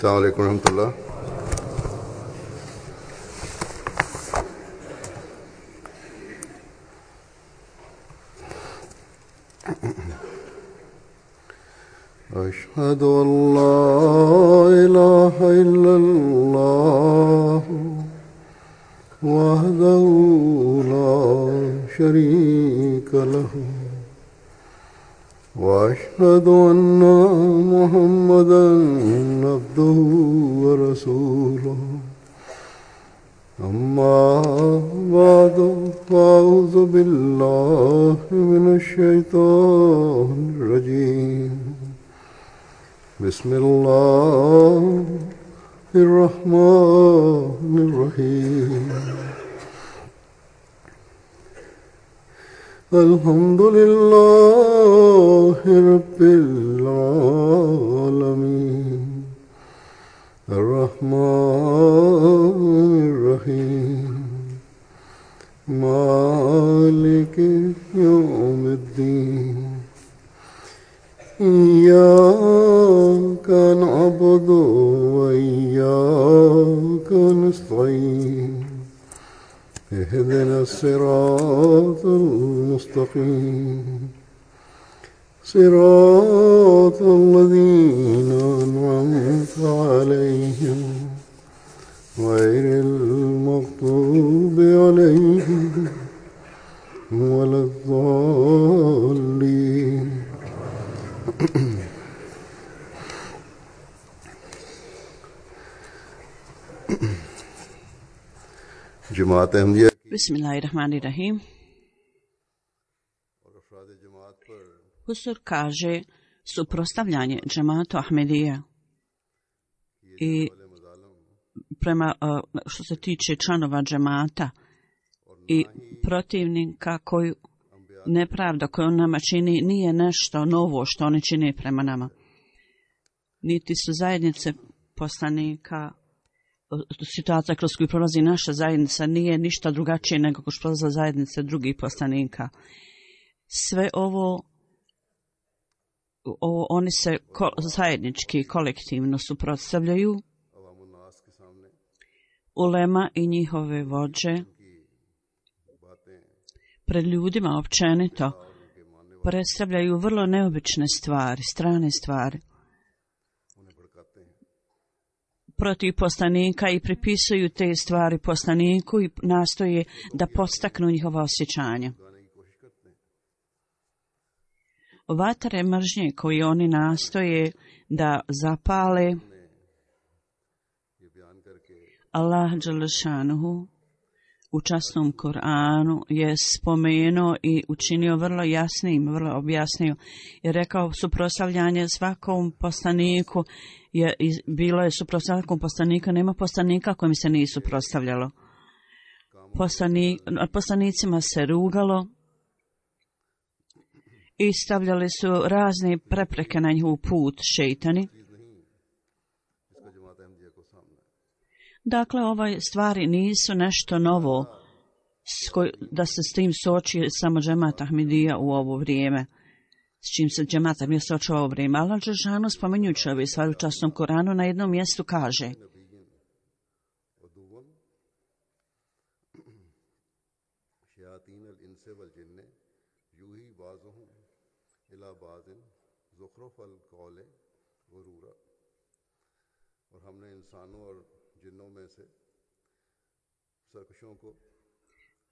अस्सलाम वालेकुम रहमतुल्लाह। أشهد أن لا إله إلا الله وحده لا شريك له وأشهد أن محمدا عبده ورسوله أما بعد فأعوذ بالله من الشيطان الرجيم بسم الله الرحمن الرحيم الحمد لله رب العالمين الرحمن الرحيم مالك يوم الدين إياك نعبد وإياك نستعين اهدنا الصراط المستقيم صراط الذين أنعمت عليهم غير المغضوب عليهم ولا الضالين जमात Ahmadiyya Bismillahirrahmanirrahim. Husur kaže suprotstavljanje džematu Ahmedija i prema što se tiče članova džemata i protivnika koju nepravda koju on nama čini nije nešto novo što oni čine prema nama. Niti su zajednice poslanika, situacija kroz koju prolazi naša zajednica nije ništa drugačije nego kroz prolaza zajednice drugih poslanika. Sve ovo oni se zajednički, kolektivno suprotstavljaju. Ulema i njihove vođe pred ljudima općenito predstavljaju vrlo neobične stvari, strane stvari protiv poslanika i pripisuju te stvari poslaniku i nastoje da podstaknu njihova osjećanja. Vatre mržnje koje oni nastoje da zapale, Allah dželešanuhu u časnom Kur'anu je spomenuo i učinio vrlo jasnim, vrlo objasnio i rekao suprotstavljanje svakom poslaniku bilo je suprotstavljanjem poslanika, nema poslanika kojim se nije suprotstavljalo. Poslanicima se rugalo i stavljali su razne prepreke na njihov put šejtani. Dakle, ove stvari nisu nešto novo da se s tim suoči samo džemat Ahmedija u ovo vrijeme, s čim se džemat Ahmedija suočava u ovo vrijeme. Allah dželešanu spominjući ove stvari u časnom Koranu na jednom mjestu kaže: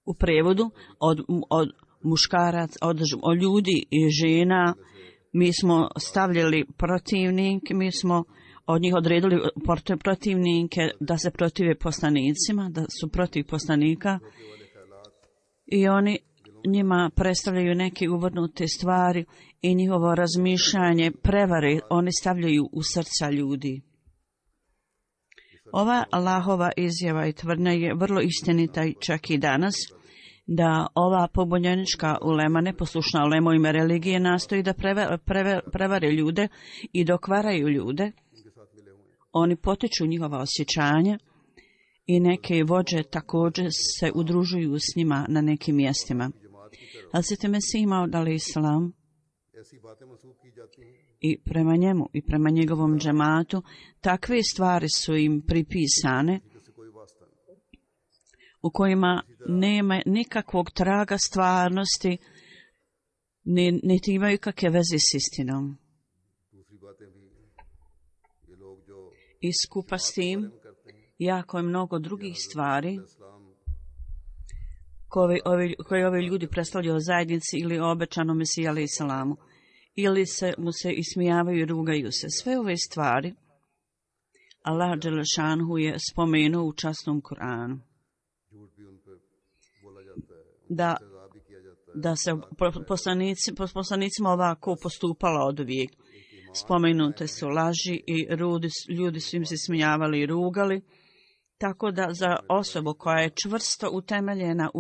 u prevodu od muškaraca, od ljudi i žena mi smo stavljali protivnike, mi smo od njih odredili protivnike da se protive poslanicima, da su protiv poslanika i oni njima predstavljaju neke uvrnute stvari i njihovo razmišljanje prevare oni stavljaju u srca ljudi. Ova Allahova izjava i tvrdnja je vrlo istinita čak i danas, da ova pobunjenička ulema, neposlušna ulema u ime religije, nastoji da prevare ljude i dokvaraju ljude. Oni potiču njihova osjećanja i neke vođe također se udružuju s njima na nekim mjestima. Hazreti Mesih Maud alejhiselam i prema njemu i prema njegovom džematu, takve stvari su im pripisane u kojima nema nikakvog traga stvarnosti, niti imaju kakve veze s istinom. I skupa s tim, jako je mnogo drugih stvari koje ovi ljudi predstavljaju zajednici ili obećanom Mesiji alejhi salamu, ili mu se ismijavaju i rugaju se. Sve ove stvari Allah dželešanhu je spomenuo u časnom Kur'anu. Da se poslanicima ovako postupalo od uvijek. Spomenute su laži i ljudi su im se smijavali i rugali. Tako da za osobu koja je čvrsto utemeljena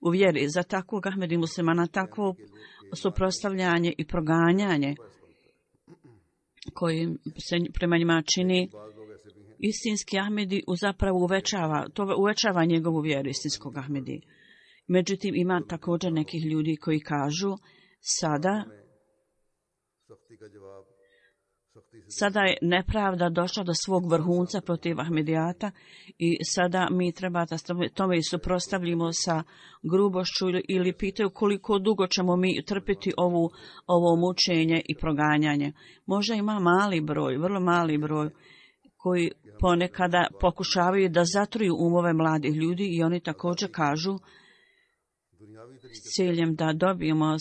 u vjeri, za takvog Ahmedi muslimana, takvo suprotstavljanje i proganjanje koji se prema njima čini, istinski Ahmedi zapravo uvećava njegovu vjeru istinskog Ahmedi. Međutim, ima također nekih ljudi koji kažu sada je nepravda došla do svog vrhunca protiv Ahmedijata i sada mi treba da tome suprotstavimo sa grubošću ili pitaju koliko dugo ćemo mi trpiti ovo mučenje i proganjanje. Možda ima mali broj, vrlo mali broj koji ponekada pokušavaju da zatruju umove mladih ljudi i oni također kažu s ciljem da dobijemo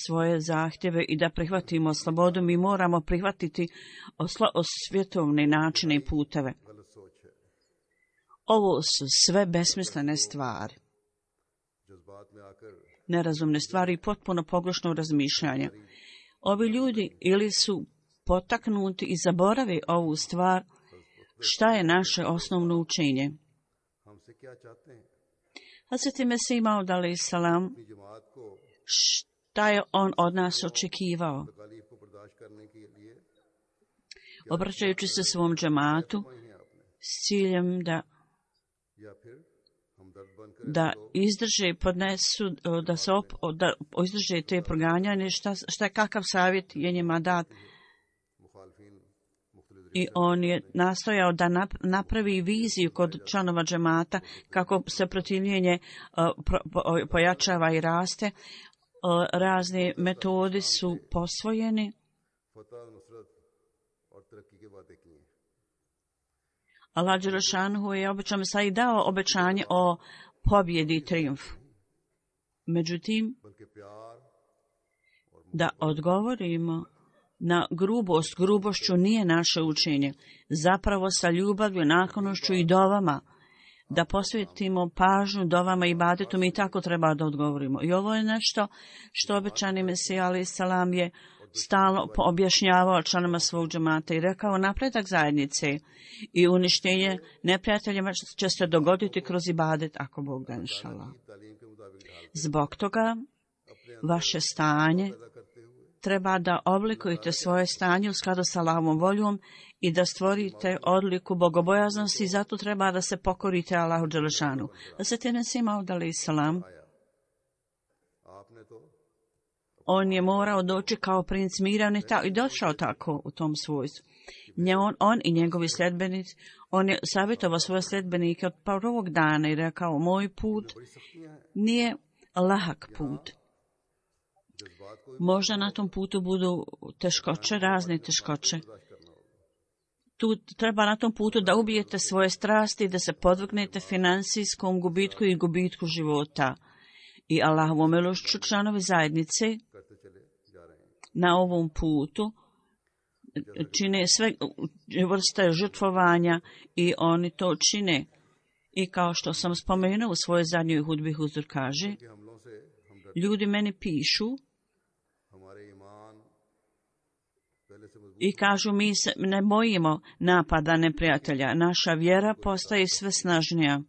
svoje zahtjeve i da prihvatimo slobodu, mi moramo prihvatiti svjetovne načine i puteve. Ovo su sve besmislene stvari, nerazumne stvari i potpuno pogrešno razmišljanje. Ovi ljudi ili su potaknuti i zaborave ovu stvar, šta je naše osnovno učenje. Hazreti Mesih Maud alejhi salam, šta je on od nas očekivao? Obraćajući se svom džematu s ciljem da izdrže, podnesu, da izdrže te proganjanje, šta je kakav savjet je njima dat. I on je nastojao da napravi viziju kod članova džemata kako se protivljenje pojačava i raste. Razne metode su posvojene. Allah dželešanhu je obećao i dao obećanje o pobjedi i trijumfu. Međutim, da odgovorimo na grubošću nije naše učenje. Zapravo sa ljubavlju, naklonošću i dovama, da posvetimo pažnju dovama i ibadetu, mi tako treba da odgovorimo. I ovo je nešto što obećani Mesija alejhi salam je stalno objašnjavao članima svog džemata i rekao: napredak zajednice i uništenje neprijateljima će se dogoditi kroz ibadet, ako Bog da, inšallah. Zbog toga vaše stanje treba da oblikujete svoje stanje u skladu sa Allahovom voljom i da stvorite odliku bogobojaznosti i zato treba da se pokorite Allahu dželešanu. Hazreti Mesih Maud alejhi salam, on je morao doći kao princ mira i došao tako u tom svojstvu. On i njegovi sljedbenici, on je savjetovao svoje sljedbenike od prvog dana i rekao: moj put nije lahak put. Možda na tom putu budu teškoće, razne teškoće. Tu treba na tom putu da ubijete svoje strasti, da se podvrgnete financijskom gubitku i gubitku života. I Allahovom milošću članovi zajednice na ovom putu čine sve vrste žrtvovanja i oni to čine. I kao što sam spomenuo u svojoj zadnjoj hudbi, Huzur kaže: ljudi meni pišu i kažu: mi se ne bojimo napada neprijatelja, naša vjera postaje sve snažnija.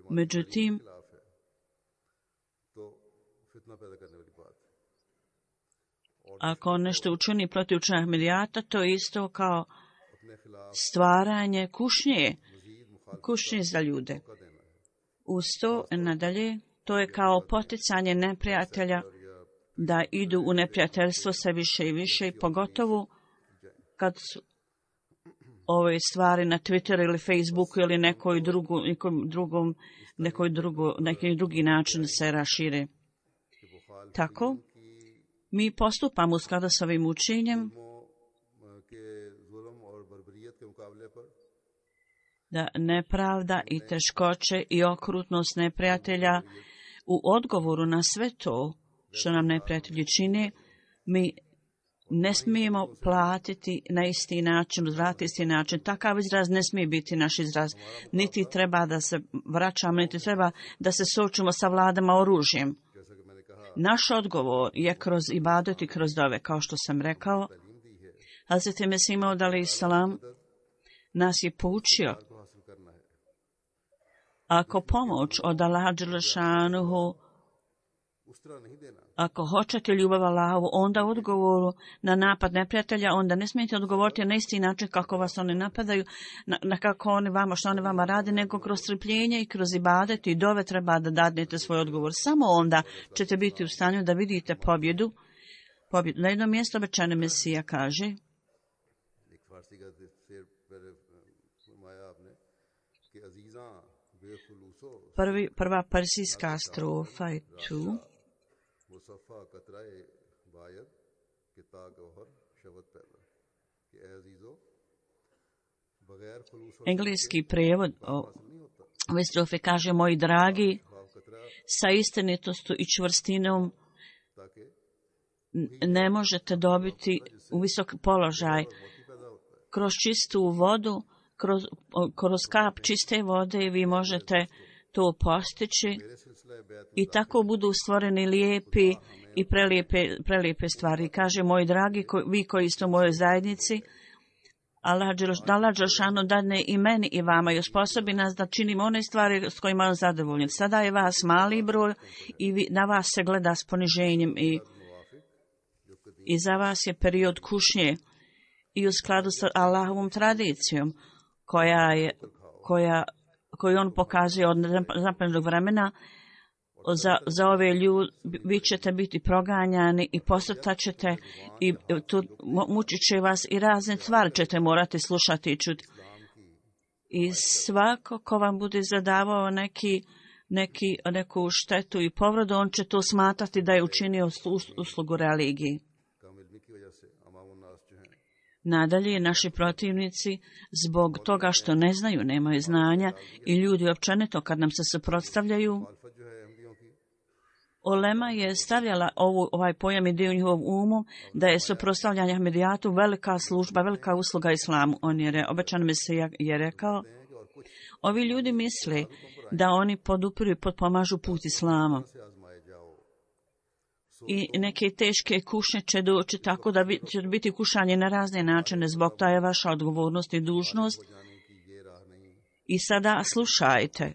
Međutim, ako nešto učini protiv učenja Ahmedijata, to je isto kao stvaranje kušnje za ljude. Uz to nadalje, to je kao poticanje neprijatelja da idu u neprijateljstvo sve više i više, pogotovo kad su ove stvari na Twitteru ili Facebooku ili neki drugi način se rašire. Tako, mi postupamo u skladu s ovim učenjem da nepravda i teškoće i okrutnost neprijatelja u odgovoru na sve to što nam neprijatelji čine, mi ne smijemo platiti na isti način, uzvratiti isti način. Takav izraz ne smije biti naš izraz. Niti treba da se vraćamo, niti treba da se suočimo sa vladama oružjem. Naš odgovor je kroz ibadet i kroz dove, kao što sam rekao. Hazret Mesih Maud alejhi salam nas je poučio. Ako pomoć od Allaha dželešanuhu, ako hoćete ljubav Allahovu, onda u odgovoru na napad neprijatelja, onda ne smijete odgovoriti na isti način kako vas oni napadaju, na kako oni vama, što oni vama rade, nego kroz strpljenje i kroz ibadet i dove treba da dadnete svoj odgovor. Samo onda ćete biti u stanju da vidite pobjedu. Na jednom mjestu obećani Mesija kaže: Prva persijska strofa je tu. Engleski prijevod ove strofe kaže: moji dragi, sa istinitostu i čvrstinom ne možete dobiti u visok položaj. Kroz čistu vodu, kroz kap čiste vode vi možete to postići i tako budu stvoreni lijepi i prelijepe stvari. Kaže: moji dragi, vi koji ste u mojoj zajednici, Allah dželešanu dadne i meni i vama i osposobi nas da činimo one stvari s kojima on zadovoljen. Sada je vas mali broj i na vas se gleda s poniženjem i za vas je period kušnje i u skladu sa Allahovom tradicijom koju on pokazuje od zapadnog vremena. Za ove ljude vi ćete biti proganjani i posrtaćete i mučit će vas i razne stvari ćete morati slušati i čuti. I svako ko vam bude zadavao neku štetu i povredu, on će to smatrati da je učinio uslugu religiji. Nadalje, naši protivnici, zbog toga što ne znaju, nemaju znanja, i ljudi općenito kad nam se suprotstavljaju, Olema je stavljala ovaj pojam i dio njihovom umu da je suprotstavljanje Ahmedijatu velika služba, velika usluga islamu. Obećan Mesija je rekao: ovi ljudi misle da oni podupiru i potpomažu put islama. I neke teške kušnje će doći tako da će biti kušanje na razne načine. Zbog toga je vaša odgovornost i dužnost. I sada slušajte.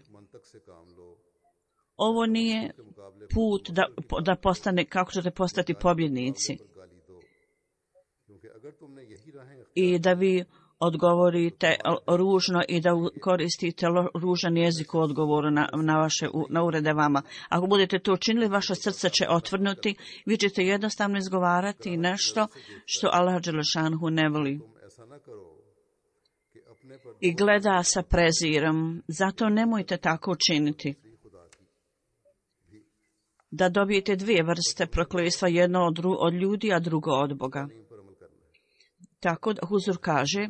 Ovo nije put da postane, kako ćete postati pobjednici. I da vi odgovorite ružno i da koristite ružan jezik u odgovoru na urede vama. Ako budete to učinili, vaše srce će otvrnuti, vi ćete jednostavno izgovarati nešto što Allah dželešanhu ne voli i gleda sa prezirom. Zato nemojte tako učiniti. Da dobijete dvije vrste prokletstva, jedno od ljudi, a drugo od Boga. Tako da Huzur kaže: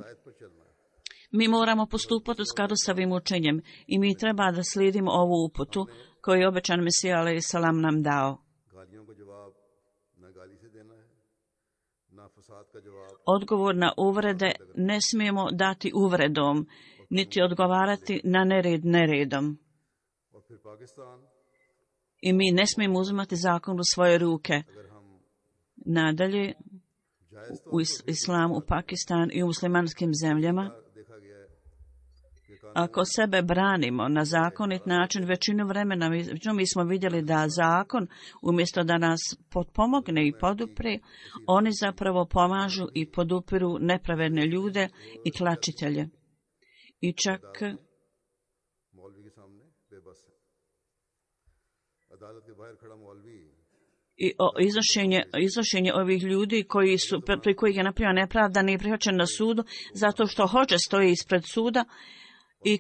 mi moramo postupati u skladu sa ovim učenjem i mi treba da slijedimo ovu uputu koju je obećan Mesija alejhi salam nam dao. Odgovor na uvrede ne smijemo dati uvredom, niti odgovarati na nered neredom. I mi ne smijemo uzimati zakon u svoje ruke. Nadalje, u islamu, u Pakistan i u muslimanskim zemljama, ako sebe branimo na zakonit način, većinu vremena mi smo vidjeli da zakon, umjesto da nas potpomogne i podupre, oni zapravo pomažu i podupiru nepravedne ljude i tlačitelje. I čak i iznošenje ovih ljudi koji je napravio nepravda nije prihvaćen na sudu zato što hođe stoji ispred suda i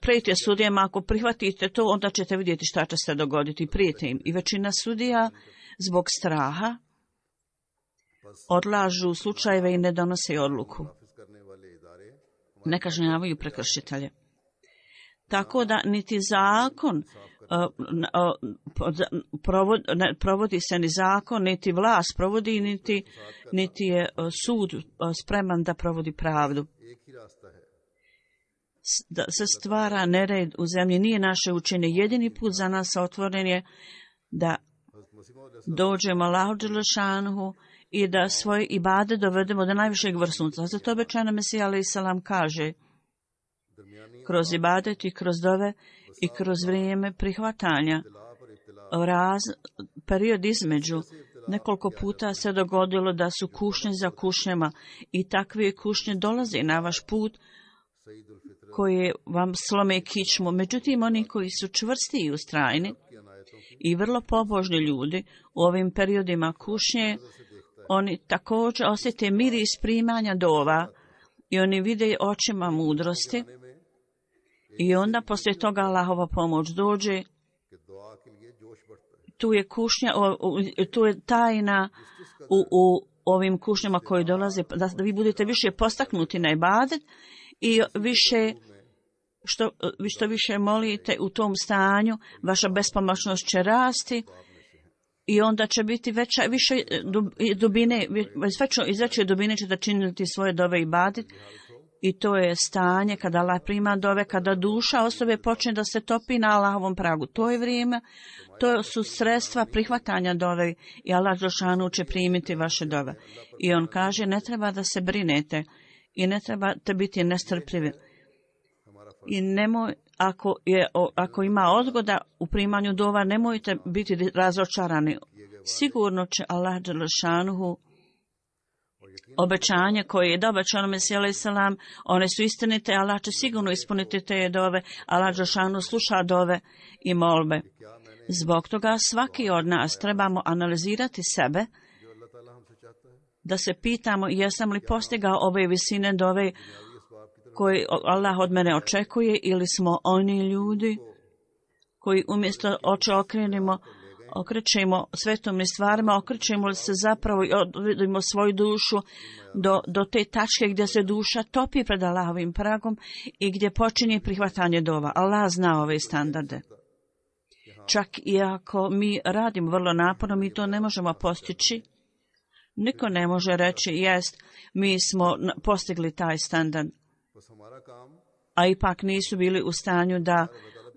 prijete sudijama, ako prihvatite to, onda ćete vidjeti šta će se dogoditi, prijete im. I većina sudija zbog straha odlažu slučajeve i ne donose odluku. Ne kažnjavaju prekršitelje. Tako da niti zakon provodi se ni zakon, niti vlast provodi, niti je sud spreman da provodi pravdu. Da se stvara nered u zemlji nije naše učenje. Jedini put za nas otvoren je da dođemo Allahu dželešanuhu i da svoje ibade dovedemo do najvišeg vrhunca. Zato obećana Mesija alejhi selam kaže: kroz ibadet i kroz dove i kroz vrijeme prihvatanja, period između, nekoliko puta se dogodilo da su kušnje za kušnjama i takve kušnje dolaze na vaš put koje vam slome kičmu. Međutim, oni koji su čvrsti i ustrajni i vrlo pobožni ljudi u ovim periodima kušnje, oni također osjete miris primanja dova i oni vide očima mudrosti i onda poslije toga Allahova pomoć dođe. Tu je kušnja, tu je tajna u ovim kušnjama koji dolaze, da vi budete više postaknuti na ibadet i što više molite u tom stanju, vaša bespomoćnost će rasti i onda će biti više dubine, iz veće dubine ćete činiti svoje dove i ibadet. I to je stanje kada Allah prima dove, kada duša osobe počne da se topi na Allahovom pragu. To je vrijeme, to su sredstva prihvatanja dove i Allah dželešanu će primiti vaše dove. I on kaže, ne treba da se brinete i ne trebate biti nestrpljivi. I nemoj, ako ima odgoda u primanju dova, nemojte biti razočarani. Sigurno će Allah dželešanu obećanje koje je obećano Mesiji alejhi selam, one su istinite, Allah će sigurno ispuniti te dove, Allah dželešanu sluša dove i molbe. Zbog toga svaki od nas trebamo analizirati sebe, da se pitamo jesam li postigao ove visine dove koje Allah od mene očekuje, ili smo oni ljudi koji umjesto oči okrećemo svetovnim stvarima, okrećemo li se zapravo i odvedimo svoju dušu do te tačke gdje se duša topi pred Allahovim pragom i gdje počinje prihvatanje dova. Allah zna ove standarde. Čak i ako mi radimo vrlo naporno, mi to ne možemo postići. Niko ne može reći, jest, mi smo postigli taj standard. A ipak nisu bili u stanju da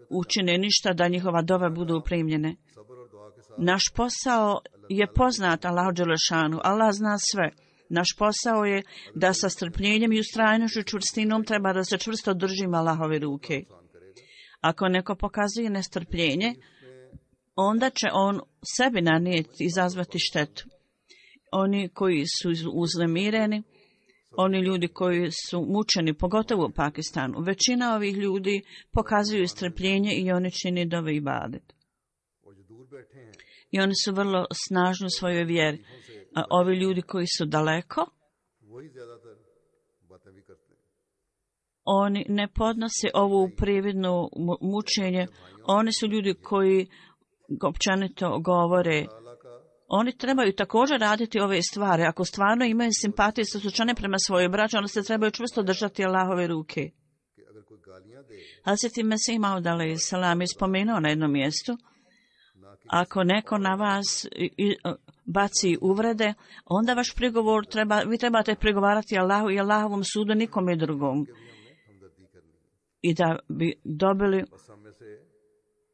učine ništa da njihova dova budu primljene. Naš posao je poznat Allahu dželešanu. Allah zna sve. Naš posao je da sa strpljenjem i ustrajnošću čvrstinom treba da se čvrsto držimo Allahove ruke. Ako neko pokazuje nestrpljenje, onda će on sebi nanijeti, izazvati štetu. Oni koji su uznemireni, oni ljudi koji su mučeni, pogotovo u Pakistanu, većina ovih ljudi pokazuju strpljenje i oni čini dove ibadet. I oni su vrlo snažni u svojoj vjeri. A ovi ljudi koji su daleko, oni ne podnose ovu prividnu mučenje. Oni su ljudi koji općenito govore. Oni trebaju također raditi ove stvari. Ako stvarno imaju simpatije sa slučajne prema svojoj braći, onda se trebaju čvrsto držati Allahove ruke. Hazreti Mesih Maud alejhi selam je spomenuo na jednom mjestu, ako neko na vas baci uvrede, onda vaš prigovor vi trebate prigovarati Allahu i Allahovom sudu, nikome drugom. I da bi dobili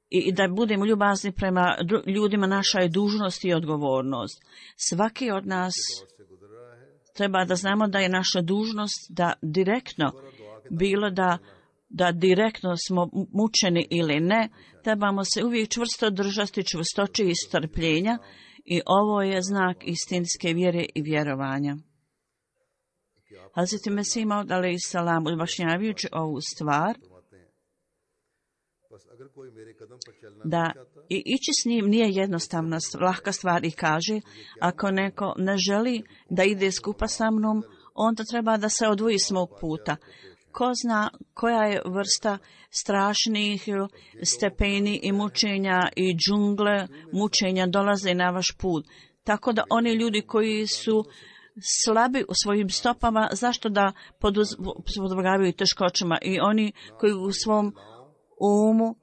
i da budemo ljubazni prema ljudima, naša je dužnost i odgovornost. Svaki od nas treba da znamo da je naša dužnost da direktno, bilo da direktno smo mučeni ili ne, trebamo se uvijek čvrsto držati čvrstoće i strpljenja i ovo je znak istinske vjere i vjerovanja. Hazreti Mesih Maud alejhi selam, objašnjavajući ovu stvar, da i ići s njim nije jednostavna, lahka stvar i kaže, ako neko ne želi da ide skupa sa mnom, onda treba da se odvoji s mog puta. Ko zna koja je vrsta strašnih stepeni i mučenja i džungle mučenja dolaze na vaš put. Tako da oni ljudi koji su slabi u svojim stopama, zašto da podvrgavaju teškoćama, i oni koji u svom umu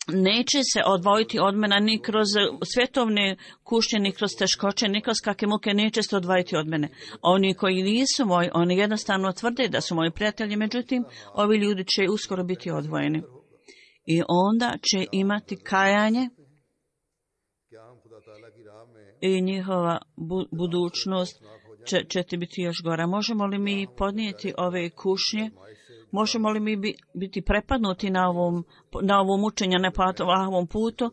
neće se odvojiti od mene ni kroz svjetovne kušnje, ni kroz teškoće, ni kroz kakve muke, neće se odvojiti od mene. Oni koji nisu moji, oni jednostavno tvrde da su moji prijatelji, međutim, ovi ljudi će uskoro biti odvojeni. I onda će imati kajanje i njihova budućnost će ti biti još gora. Možemo li mi podnijeti ove kušnje? Možemo li mi biti prepadnuti na ovom mučenju, na ovom putu?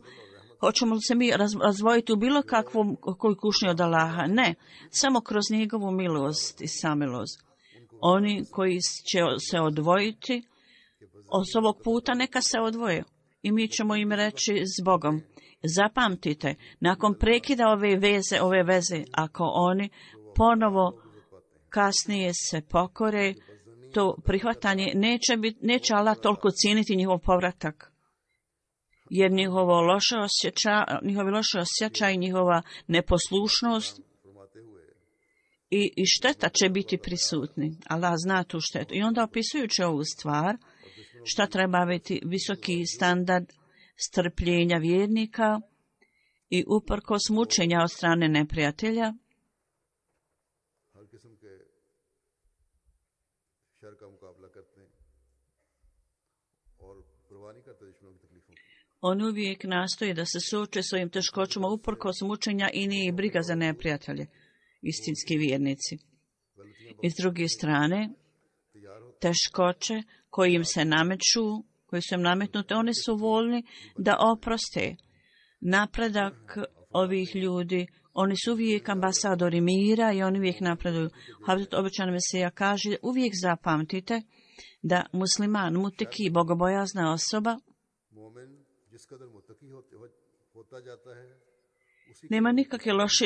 Hoćemo li se mi razvojiti u bilo kakvom koju kušnju od Allaha? Ne, samo kroz njegovu milost i samilost. Oni koji će se odvojiti od ovog puta, neka se odvoje. I mi ćemo im reći s Bogom. Zapamtite, nakon prekida ove veze, ako oni ponovo kasnije se pokore, to prihvatanje neće Allah toliko cijeniti njihov povratak. Jer njihovi loše osjećaj, njihova neposlušnost i šteta će biti prisutni. Allah zna tu štetu. I onda opisujući ovu stvar, šta treba biti visoki standard strpljenja vjernika i uprkos mučenja od strane neprijatelja, on uvijek nastoji da se suoče svojim teškoćama uprkos mučenja i nije briga za neprijatelje, istinski vjernici. I s druge strane, teškoće koje im se nameću, koji su im nametnute, oni su voljni da oproste. Napredak ovih ljudi, oni su uvijek ambasadori mira i oni uvijek napreduju. Hazret obećani Mesija kaže, uvijek zapamtite da musliman, muteki, bogobojazna osoba, nema nikakve loše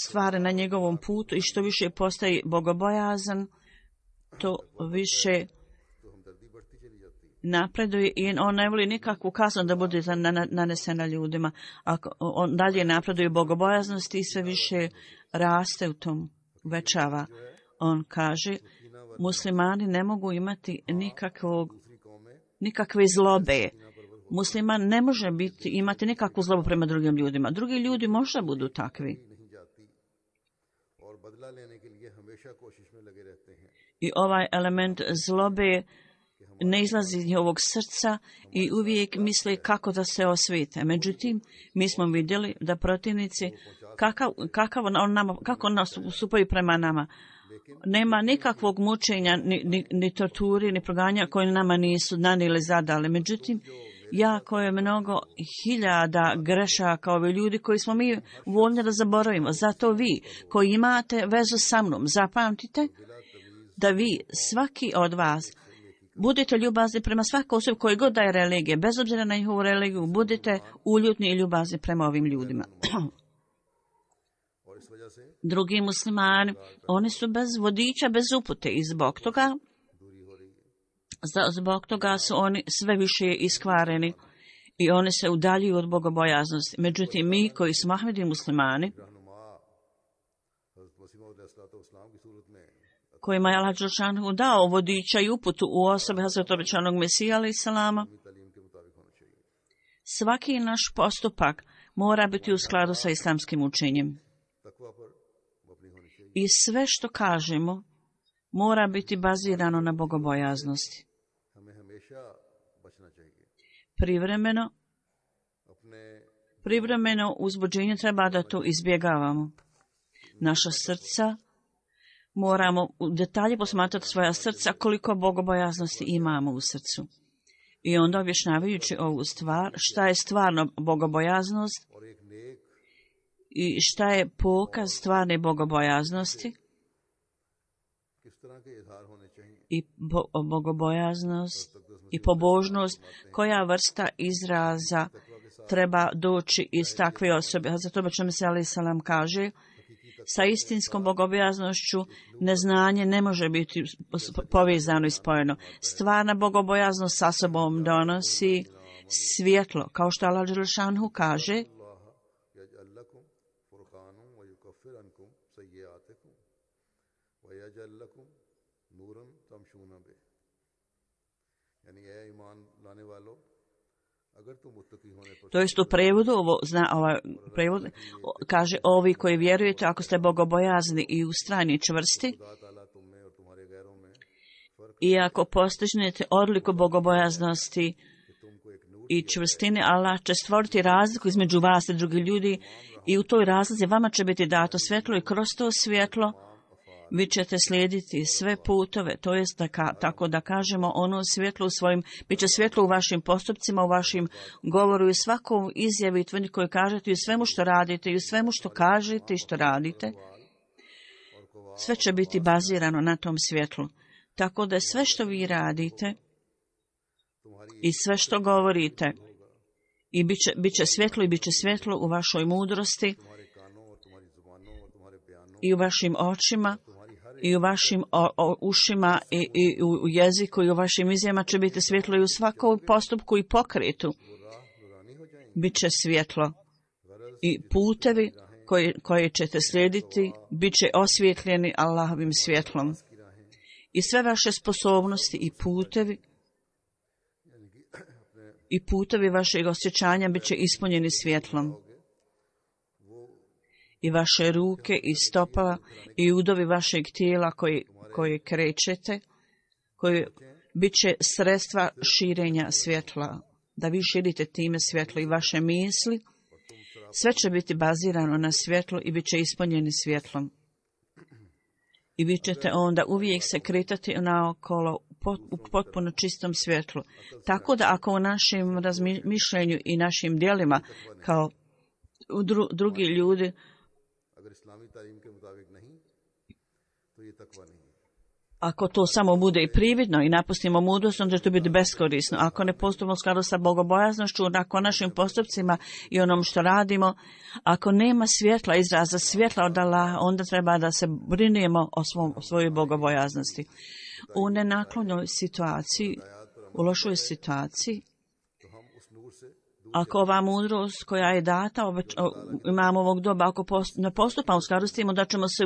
stvari na njegovom putu i što više postaje bogobojazan, to više napreduje i on ne voli nikakvu kaznu da bude nanesena ljudima. Ako on dalje napreduje bogobojaznosti i sve više raste u tom, uvećava. On kaže, muslimani ne mogu imati nikakve zlobe. Musliman ne može imati nikakvu zlobu prema drugim ljudima. Drugi ljudi možda budu takvi. I ovaj element zlobe ne izlazi iz njihovog srca i uvijek misle kako da se osvete. Međutim, mi smo vidjeli da protivnici, kako nastupaju prema nama. Nema nikakvog mučenja, ni torturi, ni proganja koje nama nisu nanijeli zadali. Međutim, jako je mnogo hiljada grešaka ove ljudi koji smo mi voljni da zaboravimo. Zato vi koji imate vezu sa mnom, zapamtite da vi, svaki od vas, budite ljubazni prema svakoj osobi koji god daje religije, bez obzira na njihovu religiju, budite uljutni i ljubazni prema ovim ljudima. Drugi muslimani, oni su bez vodiča, bez upute i zbog toga su oni sve više iskvareni i oni se udaljuju od bogobojaznosti. Međutim, mi koji smo Ahmedi muslimani, kojima je Allah dželešanu dao vodiča i uputu u osobe Hazreta obećanog Mesija alejhi selama, svaki naš postupak mora biti u skladu sa islamskim učenjem. I sve što kažemo mora biti bazirano na bogobojaznosti. Privremeno uzbuđenje treba da to izbjegavamo. Naša srca, moramo u detalje posmatrati svoja srca koliko bogobojaznosti imamo u srcu. I onda objašnjavajući ovu stvar, šta je stvarno bogobojaznost i šta je pokaz stvarne bogobojaznosti i bogobojaznost i pobožnost, koja vrsta izraza treba doći iz takve osobe. Hazrat Obećan se alejhi selam kaže, sa istinskom bogobojaznošću neznanje ne može biti povezano i spojeno. Stvarna bogobojaznost sa sobom donosi svjetlo, kao što Allah dželle šanhu kaže, to jest u prevodu, prevod kaže, ovi koji vjerujete, ako ste bogobojazni i ustrajni i čvrsti, i ako postignete odliku bogobojaznosti i čvrstine, Allah će stvoriti razliku između vas i drugih ljudi i u toj razlici vama će biti dato svjetlo i kroz to svjetlo vi ćete slijediti sve putove, to jest tako da kažemo ono svjetlo u svojim, bit će svjetlo u vašim postupcima, u vašim govoru i svakom izjavi i tvrdnji koju kažete i u svemu što radite i u svemu što kažete i što radite. Sve će biti bazirano na tom svjetlu. Tako da sve što vi radite i sve što govorite i bit će svjetlo i bit će svjetlo u vašoj mudrosti i u vašim očima i u vašim ušima i u jeziku i u vašim izjavama će biti svjetlo i u svakom postupku i pokretu bit će svjetlo i putevi koje ćete slijediti bit će osvjetljeni Allahovim svjetlom i sve vaše sposobnosti i putevi vašeg osjećanja bit će ispunjeni svjetlom. I vaše ruke i stopala i udovi vašeg tijela koje krećete, koje bit će sredstva širenja svjetla, da vi širite time svjetlo i vaše misli, sve će biti bazirano na svjetlu i bit će ispunjeni svjetlom. I vi ćete onda uvijek se kretati naokolo u potpuno čistom svjetlu. Tako da ako u našem razmišljenju i našim djelima kao drugi ljudi ako to samo bude i prividno i napustimo mudrost, onda će to biti beskorisno. Ako ne postupimo u skladu sa bogobojaznošću, ako našim postupcima i onom što radimo, ako nema svjetla, izraza svjetla od Allaha, onda treba da se brinemo o svojoj bogobojaznosti. U nenaklonjoj situaciji, u lošoj situaciji, ako ova mudrost koja je data, imamo ovog doba, ako ne postupamo u skladu s tim, da ćemo se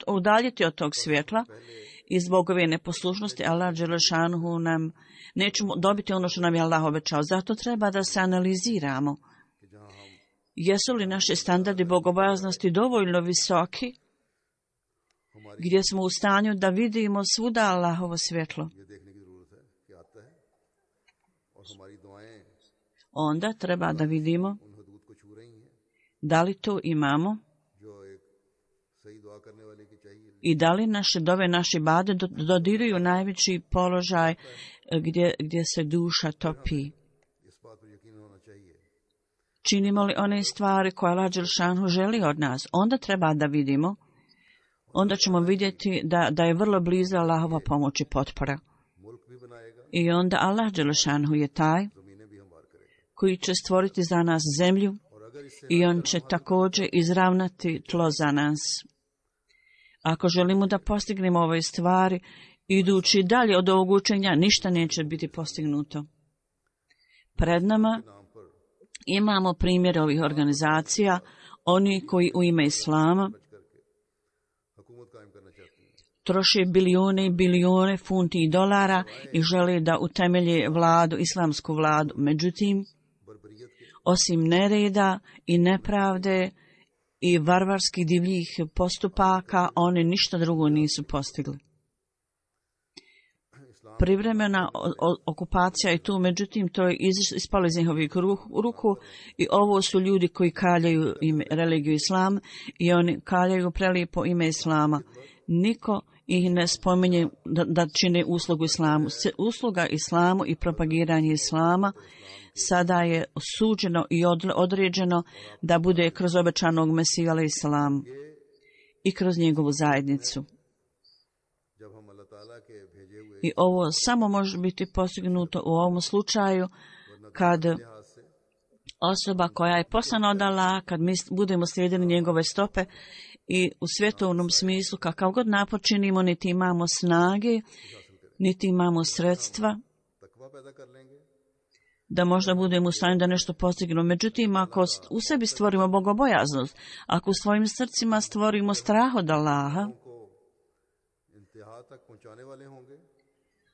udaljiti od tog svjetla i zbog ove neposlušnosti Allah dželle šanuhu nam nećemo dobiti ono što nam je Allah obećao. Zato treba da se analiziramo. Jesu li naši standardi bogobojaznosti dovoljno visoki, gdje smo u stanju da vidimo svuda Allahovo svjetlo? Onda treba da vidimo da li to imamo i da li naše dove, naši bade dodiruju najveći položaj gdje se duša topi. Činimo li one stvari koje Allah dželle šanuhu želi od nas? Onda treba da vidimo, onda ćemo vidjeti da je vrlo blizu Allahova pomoć i potpora. I onda Allah dželle šanuhu je taj koji će stvoriti za nas zemlju i on će također izravnati tlo za nas. Ako želimo da postignemo ove stvari, idući dalje od ovog učenja, ništa neće biti postignuto. Pred nama imamo primjer ovih organizacija, oni koji u ime Islama troše bilijune i bilijune funti i dolara i žele da utemelje vladu, islamsku vladu. Međutim, osim nereda i nepravde i varvarskih divljih postupaka, oni ništa drugo nisu postigli. Privremena okupacija je tu, međutim, to je ispalo iz njihovih ruku i ovo su ljudi koji kaljaju religiju Islam i oni kaljaju prelijepo ime Islama. Niko ih ne spominje da čine uslugu Islamu. Usluga Islamu i propagiranje Islama sada je suđeno i određeno da bude kroz obećanog Mesija alejhi selam i kroz njegovu zajednicu. I ovo samo može biti postignuto u ovom slučaju kad osoba koja je poslana od Allaha, kad mi budemo slijedili njegove stope i u svjetovnom smislu kakav god napor činimo, niti imamo snage, niti imamo sredstva da možda budemo u stanju da nešto postignemo. Međutim, ako u sebi stvorimo bogobojaznost, ako u svojim srcima stvorimo strah od Allaha,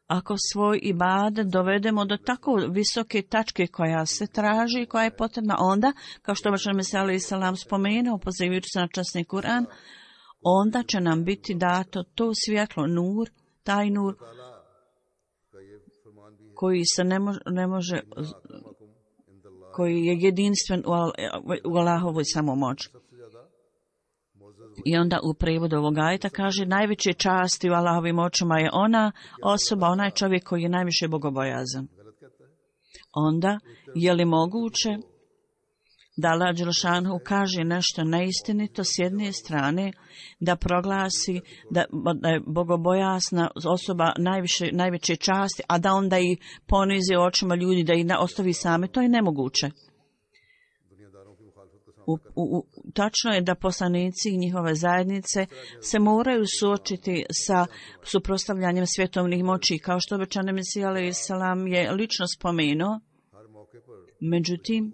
ako svoj ibadet dovedemo do tako visoke tačke koja se traži, koja je potrebna, onda, kao što baš nam je alejhi selam spomenuo, pozivajući se na časni Kur'an, onda će nam biti dato to svjetlo, nur, taj nur koji se ne može, koji je jedinstven u Allahovoj samomoći. I onda u prevodu ovog ajeta kaže najveće časti u Allahovim očima je ona osoba, onaj čovjek koji je najviše bogobojazan. Onda je li moguće da Allah dželešanu kaže nešto neistinito s jedne strane, da proglasi da je bogobojazna osoba najveće časti, a da onda i ponizi očima ljudi, da ih ostavi same? To je nemoguće. Tačno je da poslanici i njihove zajednice se moraju suočiti sa suprotstavljanjem svjetovnih moći, kao što obećani Mesija alejhi selam je lično spomenuo. Međutim,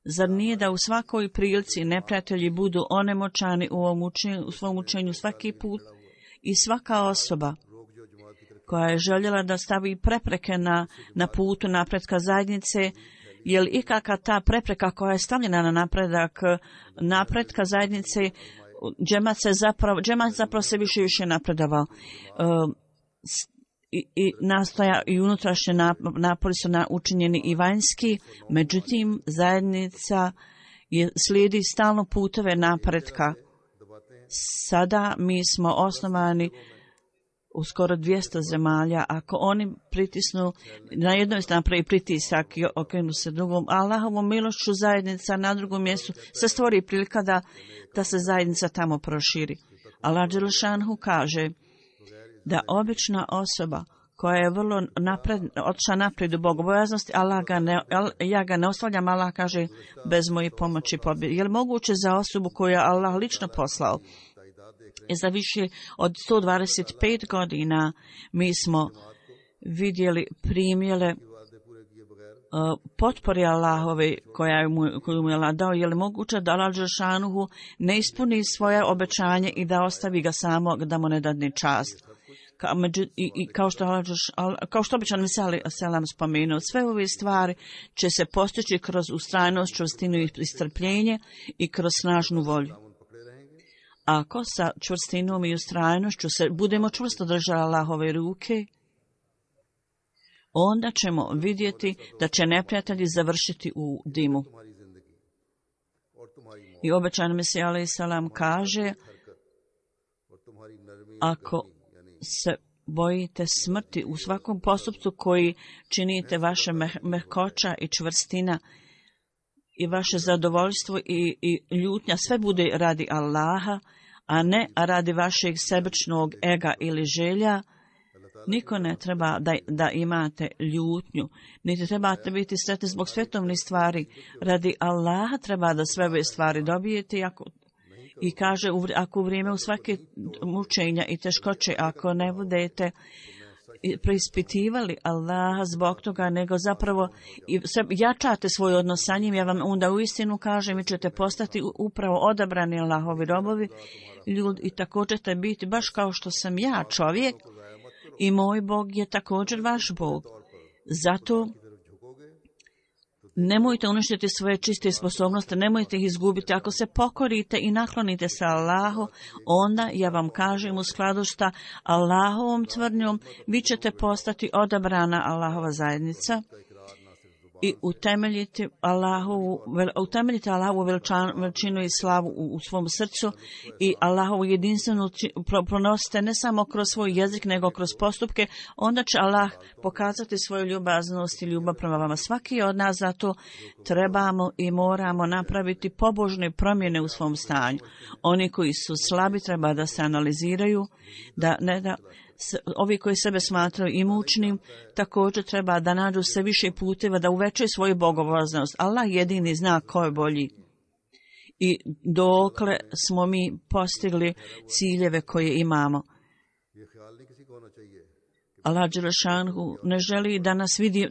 zar nije da u svakoj prilici neprijatelji budu onemoćani u svom učenju svaki put i svaka osoba koja je željela da stavi prepreke na putu napretka zajednice, je li ikakva ta prepreka koja je stavljena na napretka zajednice, džemat zapravo se više napredovao. I nastoja i unutrašnje napori su učinjeni i vanjski, međutim zajednica slijedi stalno puteve napretka. Sada mi smo osnovani u skoro 200 zemalja. Ako oni pritisnu, na jednoj napravi pritisak i okrenu se drugom, Allahovom milošću zajednica na drugom mjestu se stvori prilika da se zajednica tamo proširi. Allah dželešanu kaže da obična osoba koja je vrlo otišla naprijed u bogobojaznosti, ja ga ne ostavljam, Allah kaže bez moje pomoći pobjede. Je li moguće za osobu koju je Allah lično poslao? I za više od 125 godina mi smo vidjeli primjere potpore Allahove koju mu je Allah dao. Je li moguće da Allah dželešanu ne ispuni svoje obećanje i da ostavi ga samog, da mu ne dadne čast? Kao što obično Mesija alejhi selam spomenuo, sve ove stvari će se postići kroz ustrajnost, čvrstinu i strpljenje i kroz snažnu volju. Ako sa čvrstinom i ustrajnošću se budemo čvrsto držali Allahove ruke, onda ćemo vidjeti da će neprijatelji završiti u dimu. I obećani Mesija alejhi selam kaže, ako se bojite smrti u svakom postupku koji činite, vaše mehkoća i čvrstina i vaše zadovoljstvo i ljutnja, sve bude radi Allaha, a ne radi vašeg sebičnog ega ili želja. Niko ne treba da imate ljutnju, niti trebate biti sretni zbog svjetovnih stvari. Radi Allaha treba da sve ove stvari dobijete i kaže, ako u vrijeme u svake mučenja i teškoće, ako ne budete preispitivali Allaha zbog toga, nego zapravo jačate svoj odnos sa njim, ja vam onda uistinu kažem, vi ćete postati upravo odabrani Allahovi robovi, ljudi, i također ćete biti baš kao što sam ja čovjek i moj Bog je također vaš Bog. Zato nemojte uništiti svoje čiste sposobnosti, nemojte ih izgubiti. Ako se pokorite i naklonite se Allahu, onda ja vam kažem u skladu sa Allahovom tvrdnjom, vi ćete postati odabrana Allahova zajednica i utemeljiti Allahovu veličinu i slavu u svom srcu i Allahovu jedinstvenu pronosite ne samo kroz svoj jezik nego kroz postupke, onda će Allah pokazati svoju ljubaznost i ljubav prema vama. Svaki od nas zato trebamo i moramo napraviti pobožne promjene u svom stanju. Oni koji su slabi treba da se analiziraju, ovi koji sebe smatraju imućnim također treba da nađu sve više puteva da uvećaju svoju bogobojaznost. Allah jedini zna ko je bolji i dokle smo mi postigli ciljeve koje imamo. Allah dželešanhu ne želi da nas vidi,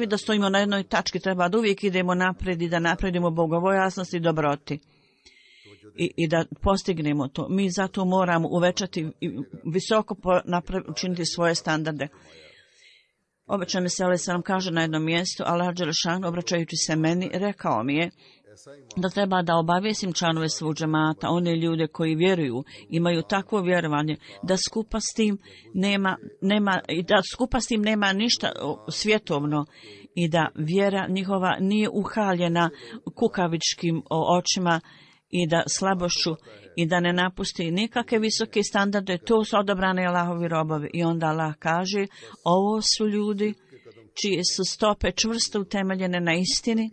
da stojimo na jednoj tački, treba da uvijek idemo naprijed i da napredimo bogobojaznost i dobroti. I da postignemo to. Mi zato moramo uvećati i visoko učiniti svoje standarde. Obećan se ali sam kaže na jednom mjestu, Allah dželešan obraćajući se meni rekao mi je da treba da obavijestim članove svog džemata, one ljude koji vjeruju, imaju takvo vjerovanje da skupa s tim nema ništa svjetovno i da vjera njihova nije uhaljena kukavičkim očima i da slabošću i da ne napusti nikakve visoke standarde, to su odabrani Allahovi robovi. I onda Allah kaže, ovo su ljudi čije su stope čvrsto utemeljene na istini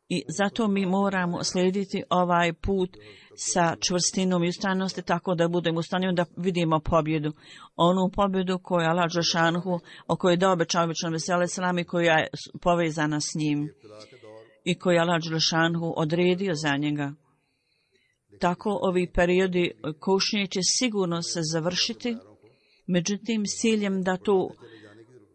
i zato mi moramo slijediti ovaj put sa čvrstinom i ustrajnosti tako da budemo u stanju da vidimo pobjedu. Onu pobjedu koju je Allah dželešanhu, o kojoj je dao obećan selam i koja je povezana s njim i koji je Allah dželešanhu odredio za njega. Tako ovi periodi kušnje će sigurno se završiti, međutim s ciljem da to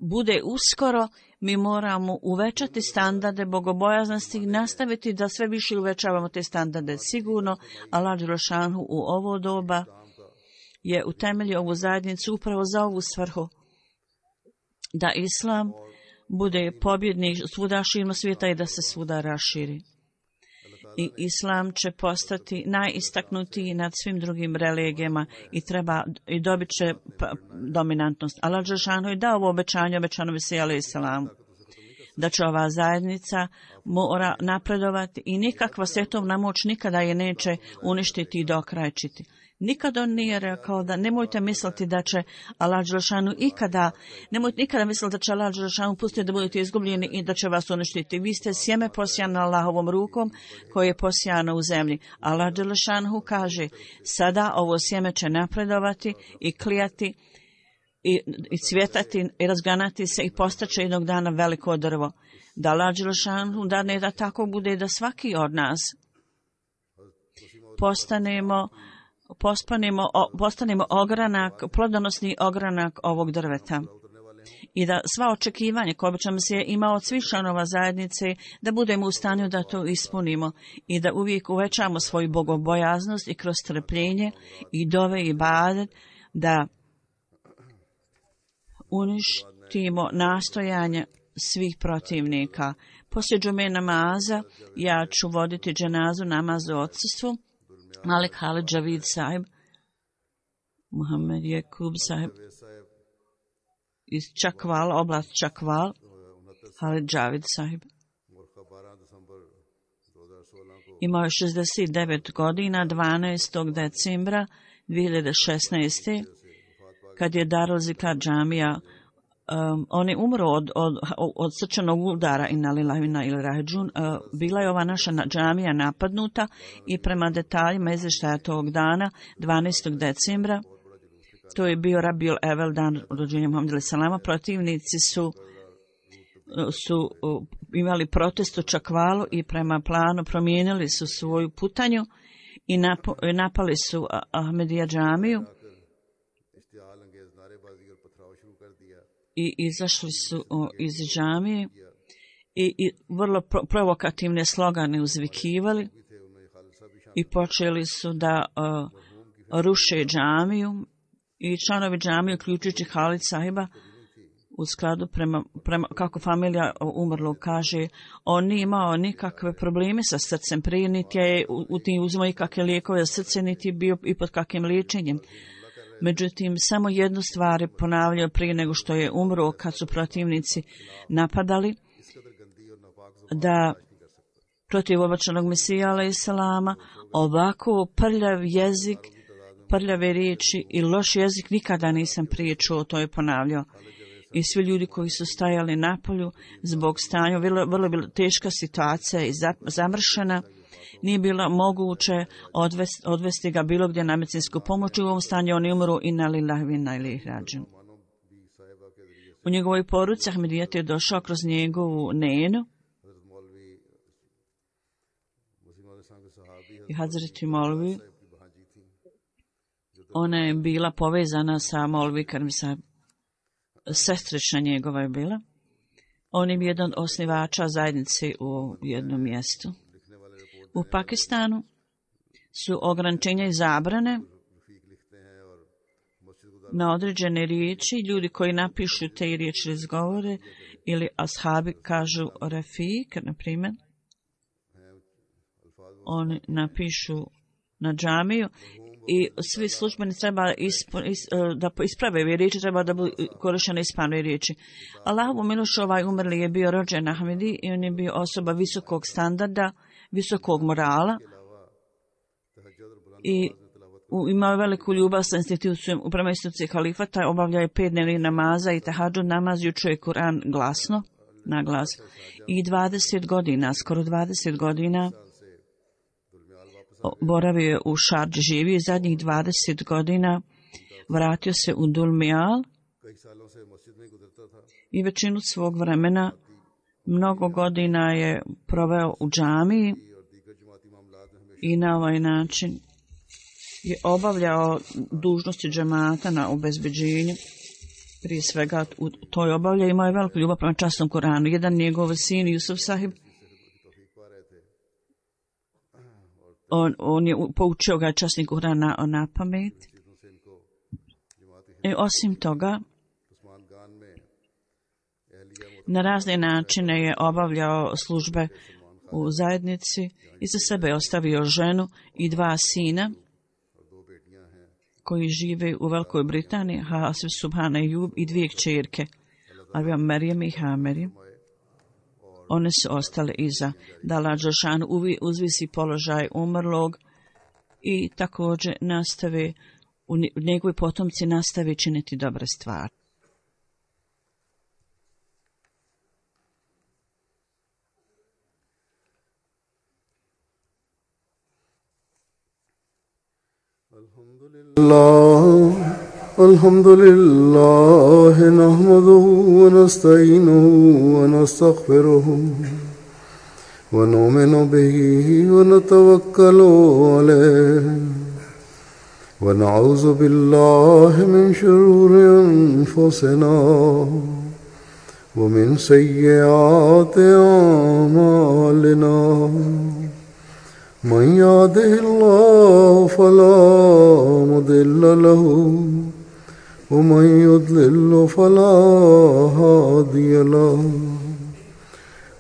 bude uskoro, mi moramo uvećati standarde bogobojaznosti i nastaviti da sve više uvećavamo te standarde. Sigurno Allah dželešanhu u ovo doba je utemeljio ovu zajednicu upravo za ovu svrhu, da Islam bude pobjednik svuda širom svijeta i da se svuda raširi. I Islam će postati najistaknutiji nad svim drugim religijama i dobit će dominantnost. Allah dželešanu je dao ovo obećanje Mesiji alejhi selam da će ova zajednica mora napredovati i nikakva svjetovna moć nikada je neće uništiti i dokrajčiti. Nikada on nije rekao da nemojte misliti da će Allah dželešanu nemojte nikada misliti da će Allah dželešanu pustiti da budete izgubljeni i da će vas uništiti. Vi ste sjeme posijano Allahovom rukom koje je posijano u zemlji. Allah dželešanu kaže, sada ovo sjeme će napredovati i klijati i cvjetati i razganati se i postaće jednog dana veliko drvo. Da Allah dželešanu dane da tako bude da svaki od nas postanemo ogranak, plodonosni ogranak ovog drveta. I da sva očekivanja koje obično se je imao od svih članova zajednice, da budemo u stanju da to ispunimo i da uvijek uvećamo svoju bogobojaznost i kroz trpljenje i dove i ibadet, da uništimo nastojanje svih protivnika. Poslije džume namaza ja ću voditi dženazu namazu u odsustvu. Malik Halid Javid sahib, Muhammed Jakub sahib iz Čakval, oblast Čakval, Halid Javid sahib. Imao je 69 godina, 12. decembra 2016. kad je Darul Zikar džamija, on je umro od srčanog udara bila je ova naša džamija napadnuta i prema detaljima izvještaja tog dana, 12. decembra, to je bio Rabiul Evel, dan rođenja Muhammeda alejhi selama, protivnici su imali protest u Čakvalu i prema planu promijenili su svoju putanju i napali su Ahmedija džamiju i izašli su iz džamije i vrlo provokativne slogane uzvikivali i počeli su da ruše džamiju i članovi džamije, uključujući Halid sahiba, u skladu prema kako familija umrlog kaže, on nije imao nikakve probleme sa srcem prije, niti je uzimao ikakve lijekove za srce, niti bio i pod kakvim liječenjem. Međutim, samo jednu stvar je ponavljao prije nego što je umro, kad su protivnici napadali, da protiv obačanog Mesija alejselama ovako prljav jezik, prljave riječi i loš jezik nikada nisam prije čuo, to je ponavljao. I svi ljudi koji su stajali na polju zbog stanja, vrlo bila teška situacija i zamršena, nije bilo moguće odvesti ga bilo gdje na medicinsku pomoć. U ovom stanju on je umro i na lillahi wa inna ilaihi rađiun. U njegovoj poruci Ahmedijet je došao kroz njegovu nenu i Hazreti Molvi. Ona je bila povezana sa Molvi Karim Sahib, sestrična njegova je bila. On je jedan od osnivača zajednice u jednom mjestu. U Pakistanu su ograničenja i zabrane na određene riječi. Ljudi koji napišu te riječi izgovore ili ashabi kažu Rafik, na primjer. Oni napišu na džamiju i svi službeni treba da isprave ove riječi, treba da budu korištene ispravne riječi. Allahovu milošću ovaj umrli je bio rođen Ahmedi i on je bio osoba visokog standarda, visokog morala i imao veliku ljubav sa institucijom, prema instituciji halifata, obavljao je 5 dnevnih namaza i tahadžud namaz i učio je Kur'an glasno, na glas. I 20 godina, skoro 20 godina, boravio je u Šardži, živio i zadnjih 20 godina vratio se u Dulmijal i većinu svog vremena, mnogo godina je proveo u džamiji i na ovaj način je obavljao dužnosti džemata na obezbeđenju. Prije svega u toj obavlja imao je veliku ljubav prema časnom Koranu. Jedan njegov sin, Jusuf Sahib, on je poučio ga časni Kuran na pamet. I osim toga, na razne načine je obavljao službe u zajednici i za sebe je ostavio ženu i 2 sina koji žive u Velikoj Britaniji, Hasif Subhana Jub, i 2 kćerke, Arvija Merijem i Hamerijem. One su ostale iza. Da Allah Đelešanu uzvisi položaj umrlog i također nastave, njegovi potomci nastave činiti dobre stvari. Alhamdulillah, nahmaduhu wa nasta'inuhu wa nastaghfiruhu wa nu'minu bihi wa natawakkalu alayhi wa na'udhu billahi min shururi anfusina wa min sayyiati a'malina. من يهده الله فلا مضل له ومن يضلل فلا هادي له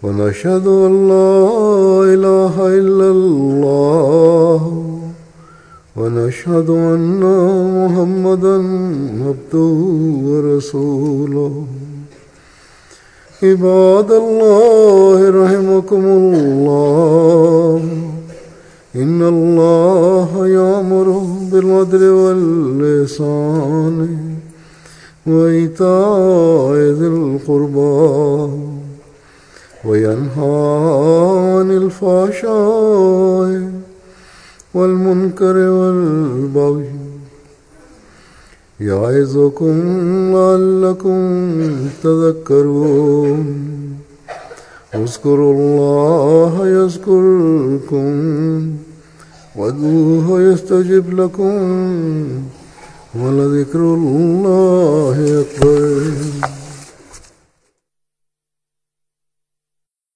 ونشهد أن لا إله إلا الله ونشهد أن محمدا عبده ورسوله. عباد الله رحمكم الله، إن الله يأمر بالعدل والإحسان وإيتاء ذي القربى وينهى عن الفحشاء والمنكر والبغي يعظكم لعلكم تذكرون. اذكروا الله يذكركم وادعوه يستجب لكم ولذكر الله أكبر.